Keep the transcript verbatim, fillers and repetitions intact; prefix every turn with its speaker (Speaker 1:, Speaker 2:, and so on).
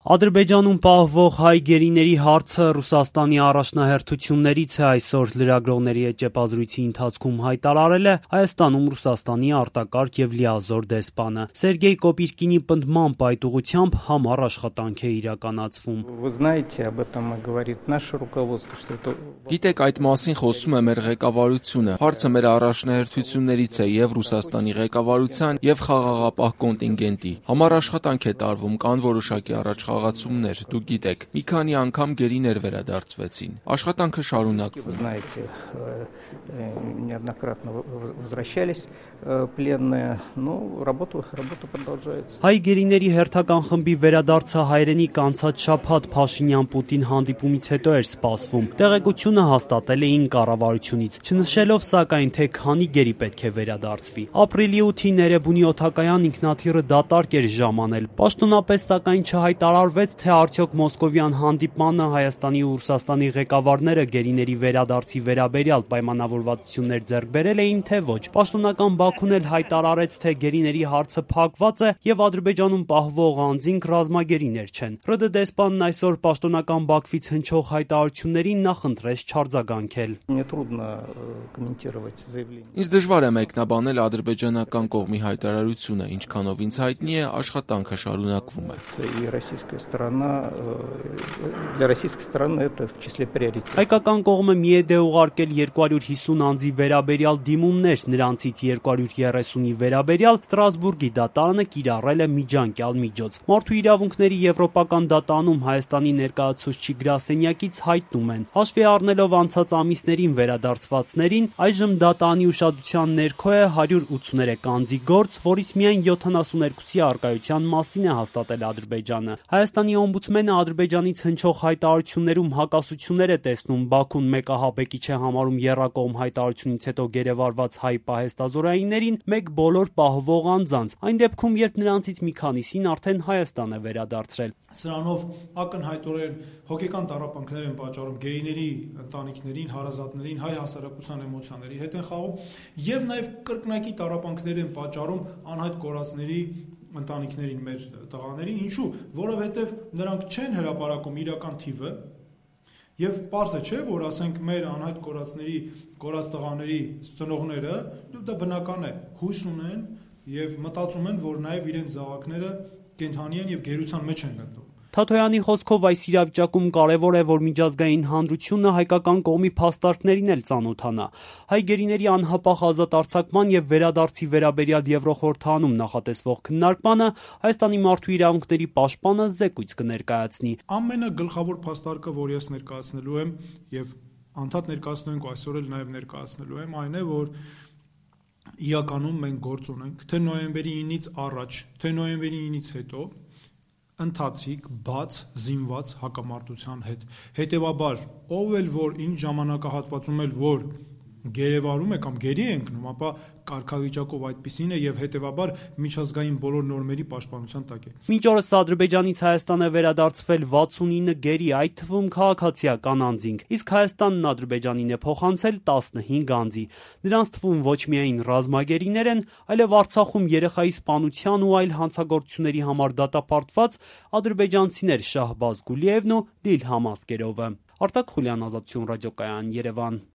Speaker 1: Ադրբեջանում պահվող հայ գերիների հարցը Ռուսաստանի առաջնահերթություններից է այսօր լրագրողների հետ ճեպազրույցի ընթացքում հայտարարել է Հայաստանում Ռուսաստանի արտակարգ եւ լիազոր դեսպանը։ Սերգեյ Կոպիրկինի պնդմամբ այդ ուղղությամբ համառ աշխատանք է իրականացվում։
Speaker 2: Գիտեք, այդ մասին խոսում է մեր ղեկավարությունը։ Հարցը մեր առաջնահերթություններից է եւ Ռուսաստանի ղեկավարության եւ խաղաղապահ կոնտինգենտի։ Համառ աշխատանք է տարվում, կան որոշակի առաջ խաղացումներ, դուք գիտեք, մի քանի անգամ գերիներ վերադարձվեցին։ Աշխատանքը շարունակվում։
Speaker 1: Հայ գերիների հերթական խմբի վերադարձը հայրենիք անցած շաբաթ Փաշինյան-Պուտին հանդիպումից հետո էր սպասվում։ Տեղեկությունը հաստատել էին կառավարությունից, չնշելով սակայն, թե քանի գերի պետք է վերադարձվի։ Ապրիլի ութին Էրեբունի օդակայան ինքնաթիռը դատարկ էր ժամանել։ Պաշտոնապես սակայն չհայտարարվեց, թե արդյոք մոսկովյան հանդիպմանը Հայաստանի ու Ռուսաստանի ղեկավարները գերիների վերադարձի վերաբերյալ պայմանավորվածություններ ձեռք բերել էին, թե ոչ։ Պաշտոնական Բաքուն էլ հայտարարեց, թե գերիների հարցը փակված է եւ Ադրբեջանում պահվող անձինք ռազմագերիներ չեն։ ՌԴ դեսպանն այսօր պաշտոնական Բաքվից հնչող հայտարարություններին նախընտրեց չարձագանքել։
Speaker 2: Ինձ դժվար է մեկնաբանել ադրբեջանական կողմի հայտարարությունը, ինչքանով ինձ հայտնի է, աշխատանքը շարունակվում է։
Speaker 1: Հայկական կողմը մի է դե ուղարկել երկու հարյուր հիսուն անձի վերաբերյալ դիմումներ, նրանցից երկու հարյուր երեսունի վերաբերյալ Ստրասբուրգի դատարանը կիրառել է միջանկյալ միջոց։ Մարդու իրավունքների եվրոպական դատարանում Հայաստանի ներկայացուցիչ գրասենյակից հայտնում են, հաշվի առնելով անցած ամիսներին վերադարձվածներին, այժմ դատարանի ուշադրության ներքո է հարյուր ութսուներեք անձի գործ, որից միայն յոթանասունհինգի առկայության մասին է հաստատել Ադրբեջանը։ Հայաստանի օմբուդսմենը Ադրբեջանից հնչող հայտարարություններում հակասություններ է տեսնում, Բաքուն մեկահաբեկիչ է համարում եռակողմ հայտարարությունից հետո գերեվարված հայ պահեստազորայիններին մեկ բոլոր պահվող անձանց, այն դեպքում, երբ նրանցից մի քանիսին արդեն Հայաստան է վերադարձրել։
Speaker 3: Սրանով ակնհայտորեն հոգեկան տառապանքներ են պատճառում գերիների ընտանիքներին, հարազատներին, հայ հասարակության էմոցիաների հետ են խաղում եւ նաեւ կրկնակի տառապանքներ են պատճառում անհայտ կորածների ընտանիքներին, մեր տղաների, ինչու, որովհետև նրանք չեն հրապարակում իրական թիվը եւ պարզ է, չէ, որ ասենք մեր անհայտ կորածների, կորած տղաների ծնողները, դա բնական է, հույս ունեն եւ մտածում են, որ նաեւ իրենց զավակները կենդանի են եւ գերության մեջ են գտնվում։
Speaker 1: Թաթոյանի խոսքով այս իրավիճակում կարևոր է, որ միջազգային հանրությունը հայկական կողմի փաստարկներին էլ ծանոթանա։ Հայ գերիների անհապաղ ազատ արձակման եւ վերադարձի վերաբերյալ Եվրոխորհրդանում նախատեսվող քննարկմանը Հայաստանի մարդու իրավունքների պաշտպանը զեկույց կներկայացնի։
Speaker 3: Ամենագլխավոր փաստարկը, որ ես ներկայացնելու եմ եւ անդադ ներկայացնում ենք այսօր էլ նաեւ ներկայացնելու եմ, այն է, որ իրականում մենք գործ ունենք թե նոյեմբերի ինից առաջ, թե նոյեմբերի ինից հետո ընթացիկ, բաց, զինված հակամարտության հետ։ Հետևաբար, ով էլ որ ինչ ժամանակահատվածում էլ որ գերեվարում է կամ գերի է ընկնում, ապա կարգավիճակով այդպիսին է եւ հետևաբար միջազգային բոլոր նորմերի պաշտպանության տակ է։
Speaker 1: Մինչ օրս Ադրբեջանից Հայաստան է վերադարձվել վաթսունինը գերի, այդ թվում քաղաքացիական անձինք, իսկ Հայաստանն Ադրբեջանին է փոխանցել տասնհինգ անձի։ Նրանց թվում ոչ միայն ռազմագերիներ են, այլև Արցախում երեխայի սպանության ու այլ հանցագործությունների համար դատապարտված ադրբեջանցիներ Շահբազ Գուլիևն ու Դիլհամ Ասկերովը։ Արտակ Խուլյան, Ազատություն ռադիոկայան, Երևան։